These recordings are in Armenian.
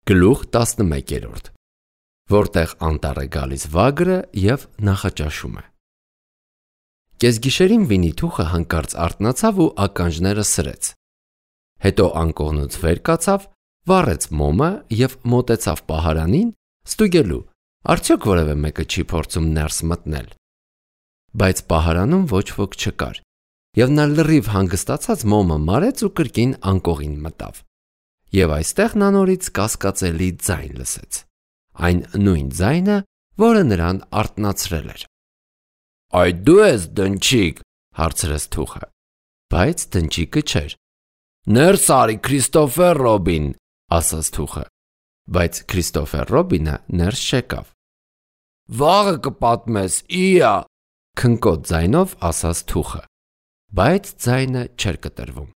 Գլուխ 11, որտեղ անտառ է գալիս վագրը և նախաճաշում է։ Կեսգիշերին Վինի-Թուխը հանկարծ արթնացավ ու ականջները սրեց։ Հետո անկողնուց վեր կացավ, վառեց մոմը և մոտեցավ պահարանին, ստուգելու, արդյոք որևէ մեկը չի փորձում ներս մտնել։ Բայց պահարանում ոչ ոք չկար, և նա լրիվ հանգստացած մոմը մարեց ու կրկին անկողին մտավ։ Եվ այստեղ նա նորից կասկածելի ձայն լսեց։ Այն նույն ձայնը, որը նրան արթնացրել էր։ «Այդ դու ես, դնչիկ», հարցրեց Թուխը։ Բայց դնչիկը չէր։ «Ներս արի, Քրիստոֆեր Ռոբին», ասաց Թուխը։ Բայց Քրիստոֆեր Ռոբինը ներս չեկավ։ «Վաղը կպատմես, իա», քնկոտ ձայնով ասաց Թուխը։ Բայց ձայնը չէր կտրվում։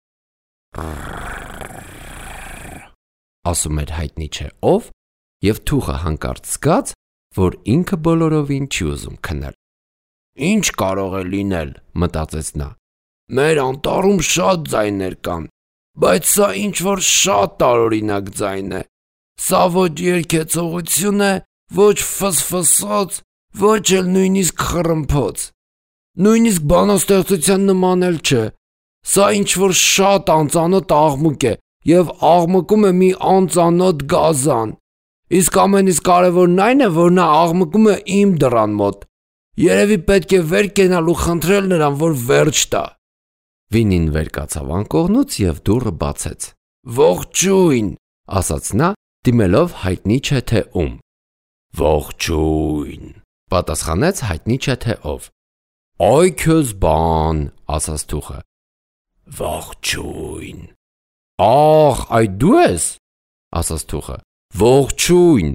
Ասում էր հայտնի չէ ով, և Թուխը հանկարծ զգաց, որ ինքը բոլորովին չի ուզում քնել։ «Ինչ կարող է լինել», մտածեց նա։ «Մեր անտառում շատ ձայներ կան, բայց սա ինչ-որ շատ տարօրինակ ձայն է։ Սա ոչ երգեցողություն է, ոչ ֆսֆսոց, ոչ էլ նույնիսկ խռմփոց։ Նույնիսկ բանաստեղծության նման էլ չէ։ Սա ինչ-որ շատ անծանոթ աղմուկ է և աղմկում է մի անծանոթ գազան։ Իսկ ամենից կարևորն այն է, որ նա աղմկում է իմ դռան մոտ։ Երևի պետք է վեր կենալ ու խնդրել նրան, որ վերջ տա»։ Վինին վեր կացավ անկողնուց և դուռը բացեց։ «Ողջույն», ասաց նա, դիմելով հայտնի չէ թե ում։ «Ողջույն», պատասխանեց հայտնի չէ թե ով։ «Այ քեզ բան», ասաց Թուխը։ «Ողջույն»։ «Ախ, այդ դու ես», ասաց Թուխը։ «Ողջույն»։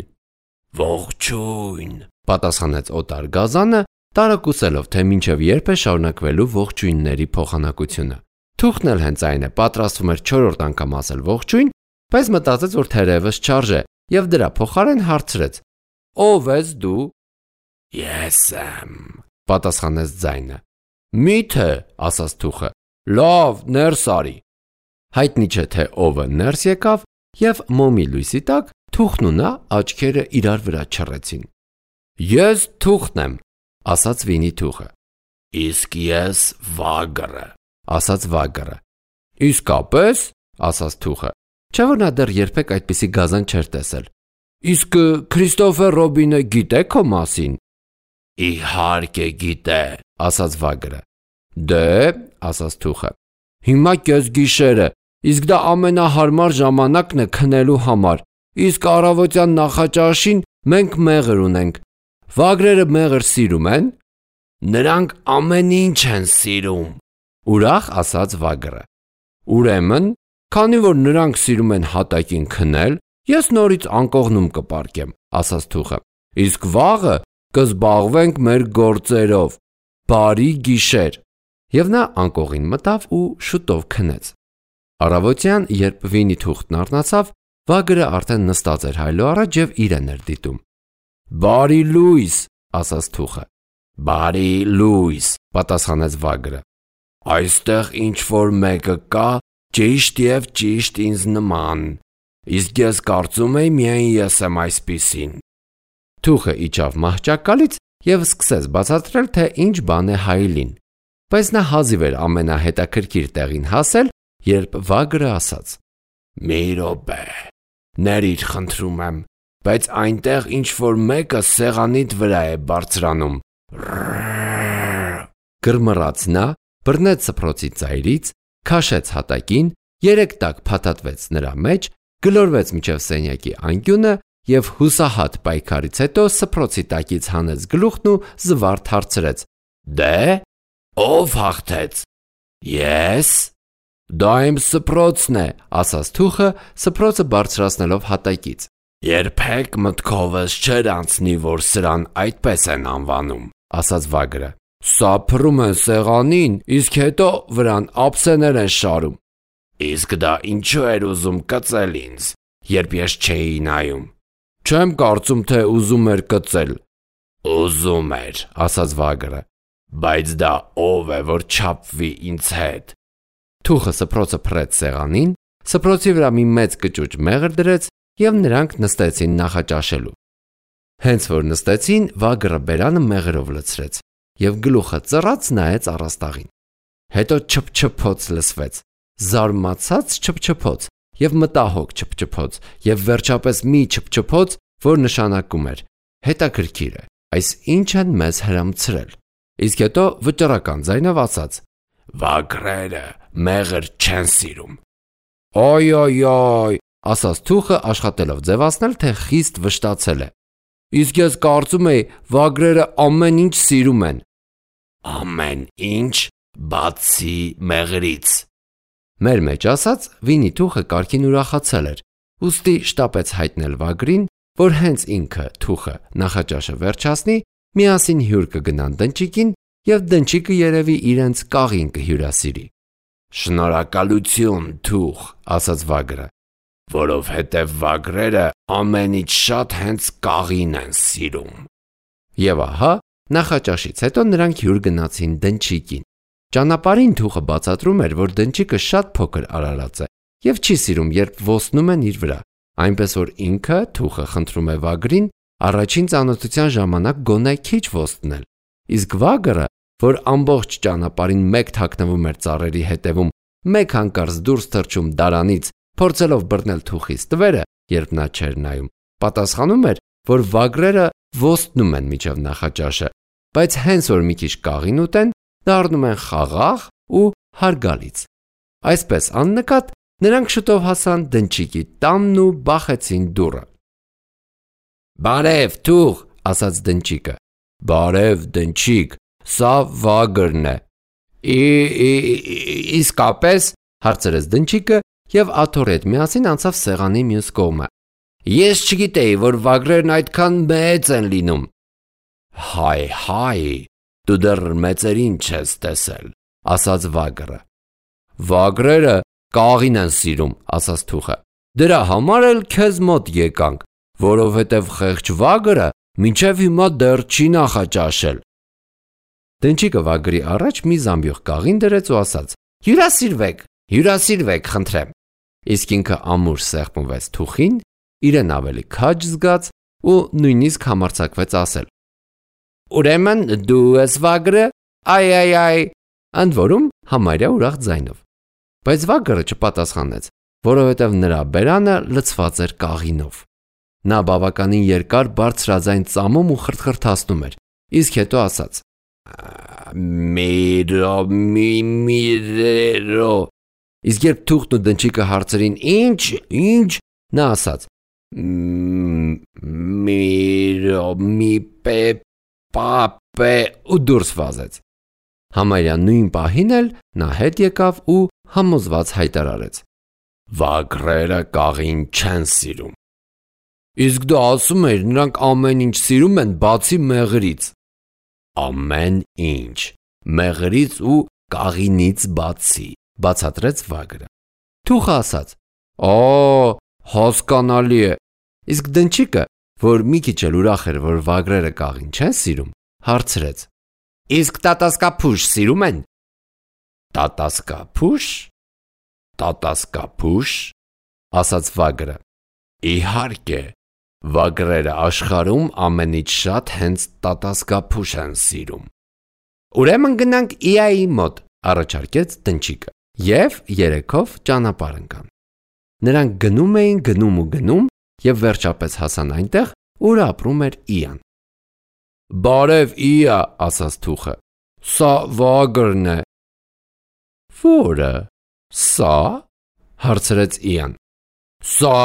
«Ողջույն», պատասխանեց օտար գազանը, տարակուսելով, թե մինչև երբ է շարունակվելու ողջույնների փոխանակությունը։ Թուխն էլ հենց այն է, պատրաստվում էր 4-րդ անգամ ասել ողջույն, բայց մտածեց, որ թերևս չարժե, և դրա փոխարեն հարցրեց. «Ո՞վ ես դու»։ «Ես եմ», պատասխանեց ձայնը։ «Մի՞թե», ասաց Թուխը։ «Լավ, ներս արի»։ Հայտնի չէ թե ովը ներս եկավ, և մոմի լույսի տակ Թուխն ու նա աչքերը իրար վրա չռեցին։ «Ես Թուխն եմ», ասաց Վինի-Թուխը։ «Իսկ ես վագրը», ասաց վագրը։ «Իսկապե՞ս», ասաց Թուխը, չէ՞ որ նա դեռ երբեք այդպիսի գազան չէր տեսել։ «Իսկ Քրիստոֆեր Ռոբինը գիտե քո մասին»։ «Իհարկե գիտե», ասաց վագրը։ «Դե», ասաց Թուխը, «հիմա կեսգիշեր է, իսկ դա ամենահարմար ժամանակն է քնելու համար, իսկ առավոտյան նախաճաշին մենք մեղր ունենք։ Վագրերը մեղր սիրում են»։ «Նրանք ամեն ինչ են սիրում», ուրախ ասաց վագրը։ «Ուրեմն, քանի որ նրանք սիրում են հատակին քնել, ես նորից անկողնում կպառկեմ», ասաց Թուխը։ «Իսկ վաղը կզբաղվենք մեր գործերով։ Բարի գիշեր»։ Եվ նա անկողին մտավ ու շուտով քնեց։ Առավոտյան, երբ Վինի-Թուխն արթնացավ, վագրը արդեն նստած էր հայլո առաջ և իրեն էր դիտում։ «Բարի լույս», ասաց Թուխը։ «Բարի լույս», պատասխանեց վագրը։ «Այստեղ ինչ-որ մեկը կա, ճիշտ և ճիշտ ինձ նման, իսկ ես կարծում էի միայն ես եմ այսպիսին»։ Թուխը իջավ մահճակալից և սկսեց բացատրել, թե ինչ բան է հայելին, բայց նա հազիվ էր ամենահետաքրքիր տեղին հասել, երբ վագրը ասաց. «Մի րոպե, ներիր խնդրում եմ, բայց այնտեղ ինչ-որ մեկը սեղանիդ վրա է բարձրանում»։ Գրմռաց նա, բռնեց սփռոցի ծայրից, քաշեց հատակին, 3 տակ փաթաթվեց նրա մեջ, գլորվեց մինչև սենյակի անկյունը և հուսահատ պայքարից հետո սփռոցի տակից հանեց գլուխն ու զվարթ հարցրեց. «Դե՞, ով հաղթեց»։ «Ես»։ «Դա իմ սփռոցն է», ասաց Թուխը, սփռոցը բարձրացնելով հատակից։ «Երբեք մտքովս չէր անցնի, որ սրան այդպես են անվանում», ասաց վագրը։ «Սա փռում են սեղանին, իսկ հետո վրան ափսեներ են շարում»։ «Իսկ դա ինչու էր ուզում կծել ինձ, երբ ես չէի նայում»։ «Չեմ կարծում, թե ուզում էր կծել»։ «Ուզում էր», ասաց վագրը, «բայց դա ով է, որ չափվի ինձ հետ»։ Թուխը սփռոցը փռեց սեղանին, սփռոցի վրա մի մեծ կճուճ մեղր դրեց և նրանք նստեցին նախաճաշելու։ Հենց որ նստեցին, վագրը բերանը մեղրով լցրեց և գլուխը ծռած նայեց առաստաղին։ Հետո չփչփոց լսվեց, զարմացած չփչփոց և մտահոգ չփչփոց և վերջապես մի չփչփոց, որ նշանակում էր. հետաքրքիր է, այս ինչ են մեզ հրամցրել։ Իսկ հետո վճռական ձայնով ասաց. «Վագրերը մեղր չեն սիրում»։ «Օյ», ասաց թուխը, աշխատելով ձևացնել, թե խիստ վշտացել է։ «Իսկ ես կարծում էի, վագրերը ամեն ինչ սիրում են»։ «Ամեն ինչ, բացի մեղրից»։ Մեր մեջ ասած, Վինի թուխը կարգին ուրախացել էր, ուստի շտապեց հայտնել վագրին, որ հենց ինքը թուխը նախաճաշը վերջացնի, միասին հյուր կգնան դնչիկին և դնչիկը երևի իրենց կաղին կհյուրասիրի։ «Շնորհակալություն, թուխ», ասաց վագրը, որովհետև վագրերը ամենից շատ հենց կաղին են սիրում։ Եվ ահա, նախաճաշից հետո նրանք հյուր գնացին դնչիկին։ Ճանապարհին թուխը բացատրում էր, որ դնչիկը շատ փոքր արարած է և չի սիրում, երբ ոսնում են իր վրա, այնպես որ ինքը թուխը խնդրում է վագրին առաջին ծանոթության ժամանակ գոնե քիչ ոստնել։ Իսկ վագրը, որ ամբողջ ճանապարհին մեկ թաքնվում էր ծառերի հետևում, մեկ հանկարծ դուրս թռչում դարանից, փորձելով բռնել թուխի ստվերը, երբ նա չէր նայում, պատասխանում էր, որ վագրերը ոստնում են մինչև նախաճաշը, բայց հենց որ մի քիչ կաղին ուտեն, դառնում են խաղաղ ու հարգալից։ Այսպես աննկատ նրանք շուտով հասան դնչիկի տանն ու բախեցին դուռը։ «Բարև, թուխ», ասաց դնչիկը։ «Բարև, դնչիկ, սա վագրն է»։ Իսկապես, հարցրեց դնչիկը և աթոռի հետ միասին անցավ սեղանի մյուս կողմը։ Ես չգիտեի, որ վագրերն այդքան մեծ են լինում։ Հայ, դու դեռ մեծերին չես տեսել, ասաց վագրը։ Վագրերը կաղին են սիրում, ասաց թուխը։ Դրա համար էլ քեզ մոտ եկանք, որովհետև խեղճ վագրը մինչև հիմա դեռ չի նախաճաշել։ Դնչիկը վագրի առաջ մի զամբյուղ կաղին դրեց ու ասաց. Հյուրասիրվեք, խնդրեմ։ Իսկ ինքը ամուր սեղմվեց թուխին, իրեն ավելի քաջ զգաց ու նույնիսկ համարձակվեց ասել. Ուրեմն դու ես վագրը, այ, ընդ որում համարյա ուրախ ձայնով։ Բայց վագրը չպատասխանեց, որովհետև նրա բերանը լցված էր կաղինով։ Նա բավականին երկար բարձրաձայն ծամում ու խրթխրթացնում էր, իսկ հետո ասաց. Միրո։ Իսկ երբ թուղթն ու դնչիկը հարցրին ինչ, նա ասաց. մի պե ու դուրս վազեց։ Համարյա նույն պահին էլ նա հետ եկավ ու համոզված հայտարարեց. Վագրերը կաղին չեն սիրում։ Իսկ դու ասում էիր, նրանք ամեն ինչ սիրում են բացի մեղրից։ Ամեն ինչ, մեղրից ու կաղինից բացի, բացատրեց վագրը։ Թուխը ասաց. հասկանալի է։ Իսկ դնչիկը, որ մի քիչ էլ ուրախ էր, որ վագրերը կաղին չեն սիրում, հարցրեց. Իսկ տատասկափուշ սիրում են։ Տատասկափուշ, ասաց վագրը։ Իհարկե, վագրերը աշխարհում ամենից շատ հենց տատասկափուշ են սիրում։ Ուրեմն գնանք Իայի մոտ, առաջարկեց դնչիկը, և երեքով ճանապարհ ընկան։ Նրանք գնում էին և վերջապես հասան այնտեղ, ուր ապրում էր Իան։ Բարև, Իա, ասաց թուխը, սա վագրն է։ Որը, սա, հարցրեց Իան։ Սա,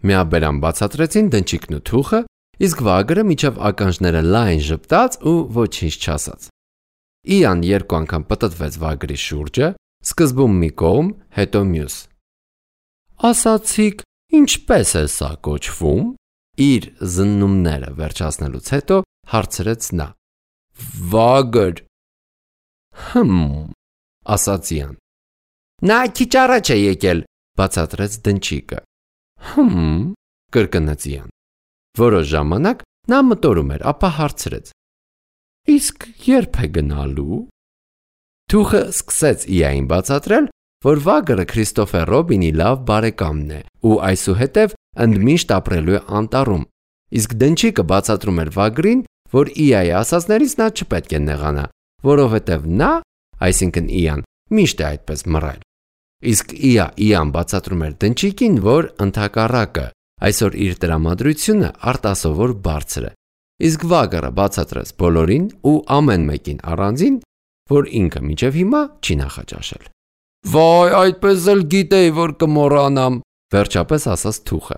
միաբերան բացատրեցին դնչիկն ու թուխը, իսկ վագրը մինչև ականջները լայն ժպտաց ու ոչինչ չասաց։ Իան երկու անգամ պտտվեց վագրի շուրջը, սկզբում մի կողմ, հետո մյուս։ Ասացիք, ինչպես է սա կոչվում։ Իր զննումները վերջացնելուց հետո հարցրեց նա։ Վագր։ Ասաց Իան։ Նա քիչ առաջ է եկել, բացատրեց դնչիկը։ Կրկնեց Իան։ Որոշ ժամանակ նա մտորում էր, ապա հարցրեց. Իսկ երբ է գնալու։ Թուխը սկսեց Իային բացատրել, որ վագրը Քրիստոֆեր Ռոբինի լավ բարեկամն է ու այսուհետև ընդմիշտ ապրելու է անտառում։ Իսկ դնչիկը բացատրում էր Վագրին, որ Իայի ասածներից նա չպետք է նեղանա, որովհետև նա, այսինքն Իան, միշտ է այդպես մռայլ։ Իսկ Իան բացատրում էր դնչիկին, որ ընդհակառակը, այսօր իր տրամադրությունը արտասովոր բարձր է։ Իսկ Վագրը բացատրեց բոլորին ու ամեն մեկին առանձին, որ ինքը մինչև հիմա չի նախաճաշել։ Վայ, այդպես էլ գիտեի, որ կմոռանամ, վերջապես ասաց Թուխը։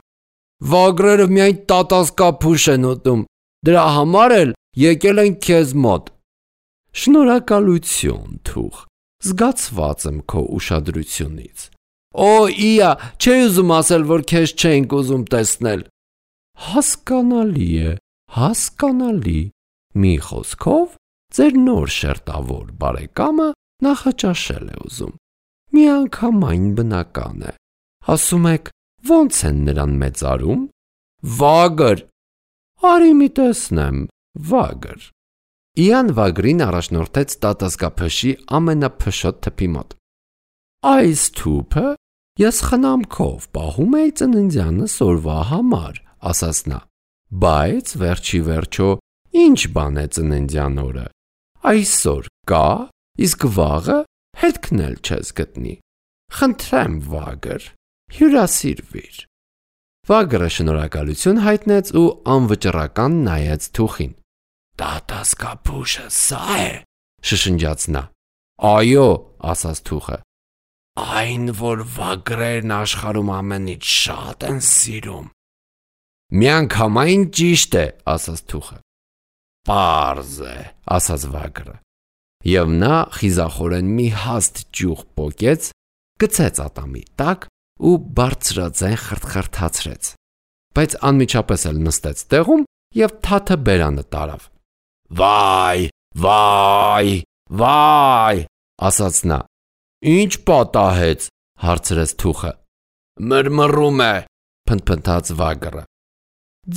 Վագրերը միայն տատասկափուշ են ուտում, դրա համար էլ եկել են քեզ մոտ։ Շնորհակալություն, Թուխ, զգացված եմ քո ուշադրությունից։ Օ, Իա, չէի ուզում ասել, որ քեզ չենք ուզում տեսնել։ Հասկանալի։ Մի խոսքով, ձեր նոր շերտավոր բարեկամը նախաճաշել է ուզում։ Միանգամայն բնական է։ Ասում եք, ո՞նց են նրան մեծարում։ Վագր։ Արի մի տեսնեմ, Վագր։ Իան Վագրին առաջնորդեց տատասկափշի ամենափշոտ թփի մոտ։ Այս թուփը ես խնամքով պահում էի ծննդյանս օրվա համար, ասաց նա։ Բայց վերջի վերջո ինչ բան է ծննդյան օրը։ Այսօր կա, իսկ վաղը հետքն էլ չես գտնի։ Խնդրեմ, Վագր, հյուրասիրվիր։ Վագրը շնորհակալություն հայտնեց ու անվճռական նայեց Թուխին։ Տատասկափուշը սա է, շշնջաց նա։ Այո, ասաց Թուխը։ Այն, որ վագրերն աշխարհում ամենից շատ են սիրում։ Միանգամայն ճիշտ է, ասաց Թուխը։ Պարզ է, ասաց Վագրը։ Եվ նա խիզախորեն մի հաստ ճյուղ պոկեց, գցեց ատամի տակ ու բարձրաձայն խրթխրթացրեց։ Բայց անմիջապես էլ նստեց տեղում և թաթը բերանը տարավ։ Վայ, ասաց նա։ Ինչ պատահեց, հարցրեց Թուխը։ Մրմռում է, փնթփնթաց Վագրը։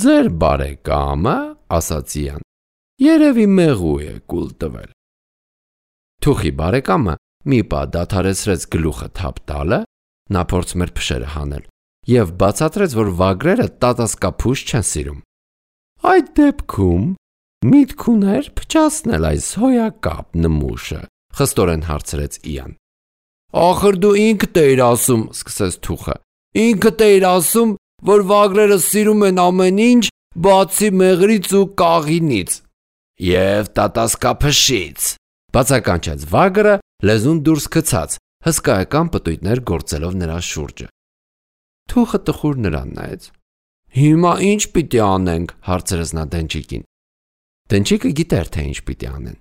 Ձեր բարեկամը, ասաց Իան, երևի մեղու է կուլ տվել։ Թուխի բարեկամը մի պահ դադարեցրեց գլուխը թափ տալը, նա փորձում էր փշերը հանել և բացատրեց, որ վագրերը տատասկափուշ չեն սիրում։ Այդ դեպքում միտք ուներ փչացնել այս հոյակապ նմուշը, խստորեն հարցրեց Իան։ Ախր դու ինքդ էիր ասում, սկսեց Թուխը։ Ինքդ էիր ասում, որ վագրերը սիրում են ամեն ինչ, բացի մեղրից ու կաղինից։ Եվ տատասկափշից, բացականչեց Վագրը, լեզուն դուրս գցած, հսկայական պտույտներ գործելով նրա շուրջը։ Թուխը տխուր նրան նայեց։ Հիմա ինչ պիտի անենք, հարցրեց նա դնչիկին։ Դնչիկը գիտեր, թե ինչ պիտի անեն։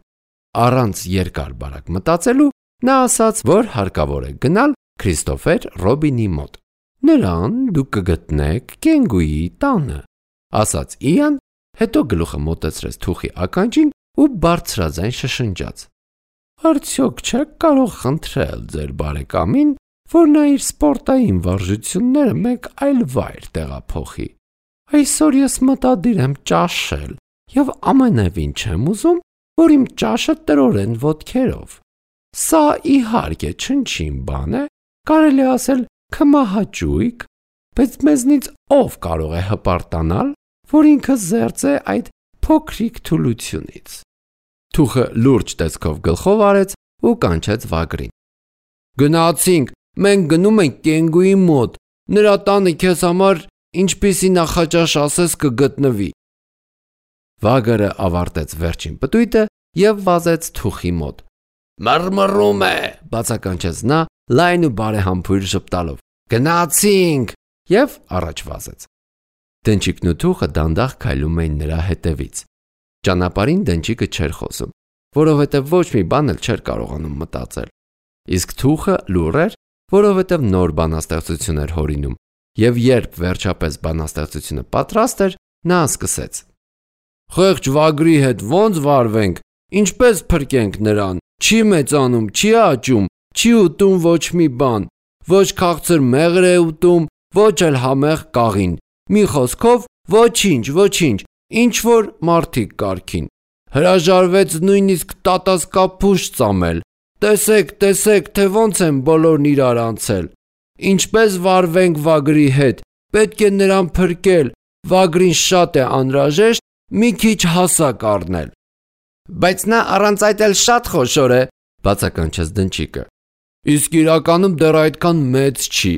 Առանց երկար բարակ մտածելու, նա ասաց, որ հարկավոր է գնալ Քրիստոֆեր Ռոբինի մոտ։ Նրան դուք կգտնեք կենգուի տանը, ասաց Իան, հետո գլուխը մոտեցրեց Թուխի ականջին ու բարձրաձայն շշնջաց։ Արդյոք չեք կարող խնդրել ձեր բարեկամին, որ նա իր սպորտային վարժությունները մեկ այլ վայր տեղափոխի։ Այսօր ես մտադիր եմ ճաշել և ամենևին չեմ ուզում, որ իմ ճաշը տրորեն ոտքերով։ Սա իհարկե չնչին բան է, կարելի ասել քմահաճույք, բայց մեզնից ով կարող է հպարտանալ, որ ինքը զերծ է այդ փոքրիկ թուլությունից։ Թուխը լուրջ տեսքով գլխով արեց ու կանչեց Վագրին։ Գնացինք, մենք գնում ենք կենգուի մոտ, նրա տանը քեզ համար ինչպիսի նախաճաշ ասես կգտնվի։ Վագրը ավարտեց վերջին պտույտը և վազեց Թուխի մոտ։ Մռմռում է, բացականչեց նա, լայն ու բարեհամբույր ժպտալով։ Գնացինք և առաջ վազեց։ Դնչիկն ու Թուխը դանդաղ քայլում էին նրա հետևից։ Ճանապարհին դնչիկը չէր խոսում, որովհետև ոչ մի բան էլ չէր կարողանում մտածել։ Իսկ Թուխը լուռ էր, որովհետև նոր բանաստեղծություն էր հորինում, և երբ վերջապես բանաստեղծությունը պատրաստ էր, նա սկսեց. Խեղճ Վագրի հետ ո՞նց վարվենք, ինչպես փրկենք նրան, չի մեծանում, չի աճում, չի ուտում ոչ մի բան, ոչ քաղցր մեղր է ուտում, ոչ էլ համեղ կաղին, մի խոսքով ոչինչ, ինչ որ մարդիկ կարգին։ Հրաժարվեց նույնիսկ տատասկափուշ ծամել։ Տեսեք, թե ոնց են բոլորն իրար անցել։ Ինչպես վարվենք Վագրի հետ, պետք է նրան փրկել, վագրին շատ է անհրաժեշտ մի քիչ հասակ առնել։ Բայց նա առանց այդ էլ շատ խոշոր է, բացականչեց դնչիկը։ Իսկ իրականում դեռ այդքան մեծ չի։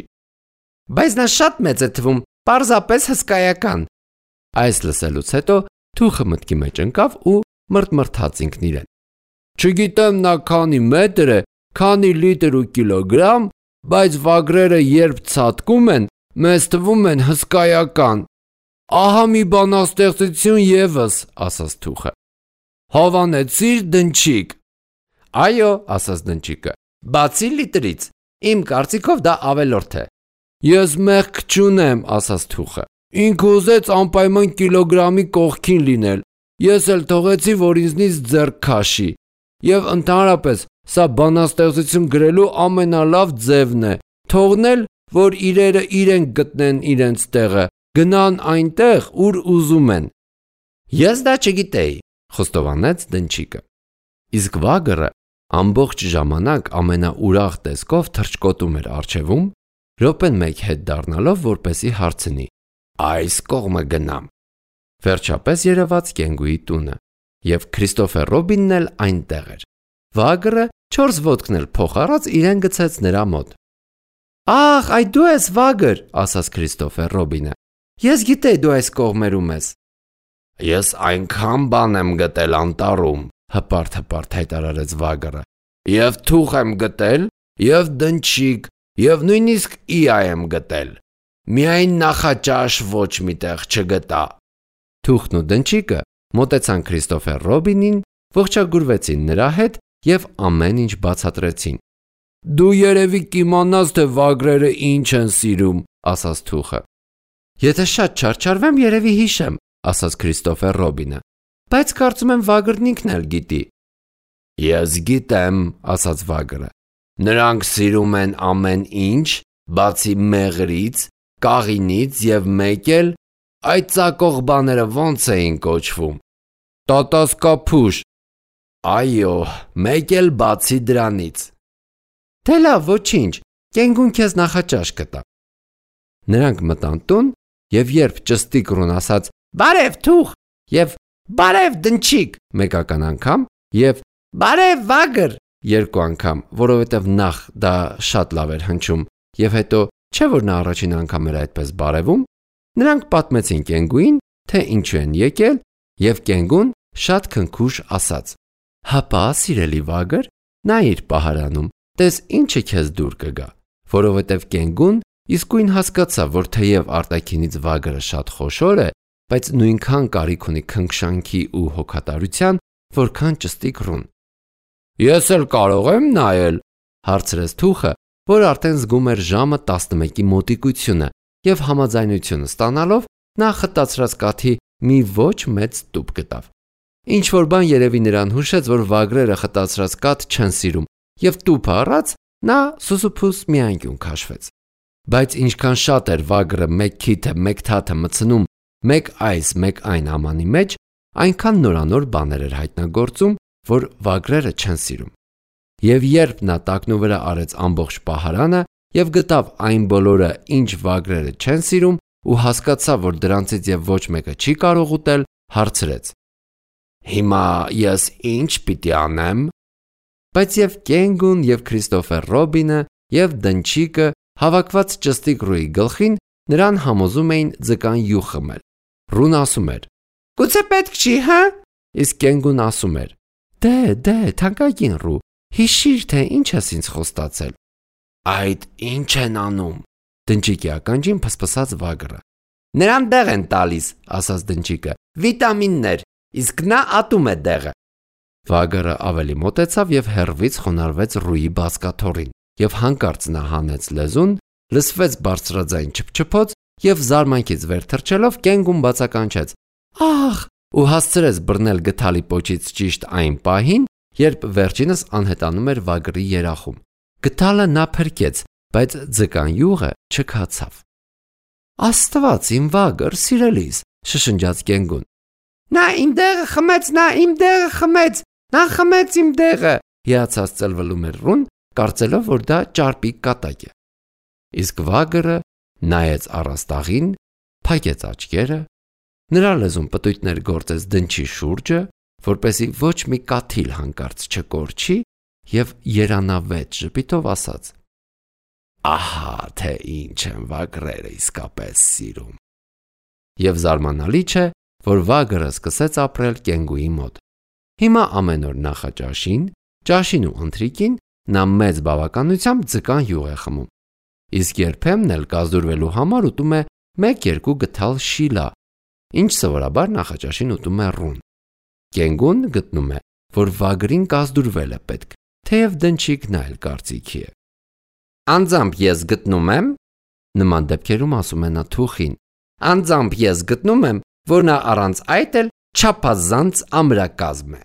Բայց նա շատ մեծ է թվում, պարզապես հսկայական։ Այս լսելուց հետո թուխը մտքի մեջ ընկավ ու մրթմրթաց ինքն իրեն։ Չգիտեմ նա քանի մետր է, քանի լիտր ու կիլոգրամ, բայց վագրերը երբ ցատկում են, մեզ թվում են հսկայական։ Ահա մի բանաստեղծություն եւս, ասաց թուխը։ Հավանեցիր դնչիկ։ Այո, ասաց դնչիկը, բացի լիտրից, իմ կարծիքով դա ավելորդ է։ Ես մեղք չունեմ, ասաց թուխը։ Ինքը ուզեց անպայման կիլոգրամի կողքին լինել։ Ես էլ թողեցի, որ ինձնից ձեռք քաշի։ Եվ ընդհանրապես, սա բանաստեղծություն գրելու ամենալավ ձևն է։ Թողնել, որ իրերը իրենք գտնեն իրենց տեղը, գնան այնտեղ, ուր ուզում են։ Ես դա չգիտեի, խոստովանեց դնչիկը։ Իսկ վագրը ամբողջ ժամանակ ամենաուրախ տեսքով թռչկոտում էր առջևում, րոպեն մեկ հետ դառնալով, որպեսի հարցնի. Այս կողմը գնամ։ Վերջապես երևաց կենգուի տունը, եւ Քրիստոֆեր Ռոբինն էլ այնտեղ էր։ Վագրը 4 ոտքն էլ փոխարած իրեն գցեց նրա մոտ։ Ահ, այ դու ես վագր, ասաց Քրիստոֆեր Ռոբինը։ Ես գիտեի դու այս կողմերում ես։ Ես այնքան բան եմ գտել անտառում, հպարտ հայտարարեց վագրը։ Եվ թուխ եմ գտել, եւ դնչիկ, եւ նույնիսկ իա եմ գտել։ Միայն նախաճաշ ոչ միտեղ չգտա։ Թուխն ու դնչիկը մոտեցան Քրիստոֆեր Ռոբինին, ողջագուրվեցին նրա հետ եւ ամեն ինչ բացատրեցին։ Դու երևի կիմանաս, թե վագրերը ինչ են սիրում, ասաց թուխը։ Եթե շատ չարչարվեմ, երևի հիշեմ, ասաց Քրիստոֆեր Ռոբինը։ Բայց կարծում եմ վագրն ինքն էլ գիտի։ Ես գիտեմ, ասաց վագրը։ Նրանք սիրում են ամեն ինչ, բացի մեղրից, կաղինից եւ մեկ էլ այդ ծակող բաները ոնց էին կոչվում։ Տատասկափուշ։ Այո, մեկ էլ բացի դրանից։ Դե լավ, ոչինչ, կենգուն քեզ նախաճաշ կտա։ Նրանք մտան տուն եւ երբ ճստիկ ռուն ասաց «Բարև թուխ» եւ «Բարև դնչիկ» մեկական անգամ եւ «Բարև վագր» երկու անգամ, որովհետեւ նախ դա շատ լավ էր հնչում եւ հետո չէ որ նա առաջին անգամ էր այդպես բարևում, նրանք պատմեցին կենգուին, թե ինչու են եկել եւ կենգուն շատ քնքուշ ասաց. Հապա, սիրելի վագր, նայիր պահարանում, տես ինչը քեզ դուր կգա, որովհետեւ կենգուն իսկույն հասկացավ, որ թեև արտաքինից վագրը շատ խոշոր է, բայց նույնքան կարիք ունի քնքշանքի ու հոգատարության, որքան ճստիկ ռուն։ Ես էլ կարող եմ նայել, հարցրեց թուխը, որ արդեն զգում էր ժամը 11-ի մոտիկությունը եւ համաձայնությունը ստանալով նա խտացրած կաթի մի ոչ մեծ տուփ գտավ։ Ինչ որ բան երևի նրան հուշեց, որ վագրերը խտացրած կաթ չեն սիրում եւ տուփը առած նա սուսուփուս մի անկյուն քաշվեց։ Բայց ինչքան շատ էր վագրը մեկ քիթը, մեկ թաթը մցնում, մեկ այս, մեկ այն ամանի մեջ, այնքան նորանոր բաներ էր հայտնագործում, որ վագրերը չեն սիրում։ Եվ երբ նա տակնու վրա արեց ամբողջ պահարանը եւ գտավ այն բոլորը, ինչ վագրերը չեն սիրում ու հասկացավ, որ դրանցից եւ ոչ մեկը չի կարող ուտել, հարցրեց. Հիմա ես ինչ պիտի անեմ։ Բայց եւ կենգուն եւ Քրիստոֆեր Ռոբինը եւ դնչիկը հավաքված ճստիկ ռուի գլխին նրան համոզում էին ձկան յուղ խմել։ Ռուն ասում էր. Գուցե պետք չի, հա։ Իսկ կենգուն ասում էր. Դե, թանկագին ռու, հիշիր, թե ինչ ես ինձ խոստացել։ Այդ ինչ են անում։ Դնչիկի ականջին փսփսաց վագրը։ Նրան դեղ են տալիս, ասաց դնչիկը, վիտամիններ, իսկ նա ատում է դեղը։ Վագրը ավելի մոտեցավ եւ հեռվից խոնարհվեց ռուի բազկաթոռին եւ հանկարծ նա հանեց լեզուն, լսվեց բարձրաձայն չփչփոց եւ զարմանքից վեր թռչելով կենգուն բացականչեց. Ահ, ու հասցրեց բռնել գթալի պոչից ճիշտ այն պահին, երբ վերջինս անհետանում էր վագրի երախում։ Գթալը նա փրկեց, բայց ձկան յուղը չքացավ։ Աստված իմ վագր, սիրելիս, շշնջաց կենգուն։ Նա իմ դեղը խմեց, նա խմեց իմ դեղը, հիացած ծլվլում էր ռուն, կարծելով, որ դա ճարպիկ կատակ է։ Իսկ վագրը նայեց առաստաղին, փակեց աչքերը, նրա լեզուն պտույտներ գործեց դնչի շուրջը, որպեսզի ոչ մի կաթիլ հանկարծ չկորչի և երանավետ ժպիտով ասաց. «Ահա թե ինչ են վագրերը իսկապես սիրում»։ Եվ զարմանալի չէ, որ վագրը սկսեց ապրել կենգուի մոտ։ Հիմա ամեն օր նախաճաշին, ճաշին ու ընթրիքին նա մեծ բավականությամբ ձկան յուղ է խմում, իսկ երբեմն էլ կազդուրվելու համար ուտում է 1-2 գդալ շիլա, ինչ սովորաբար նախաճաշին ուտում է ռուն։ Կենգուն գտնում է, որ վագրին կազդուրվել է պետք, թեև դնչիկն այլ կարծիքի է։ «Անձամբ ես գտնում եմ», նման դեպքերում ասում է նա թուխին, «անձամբ ես գտնում եմ, որ նա առանց այդ էլ չափազանց ամրակազմ է»։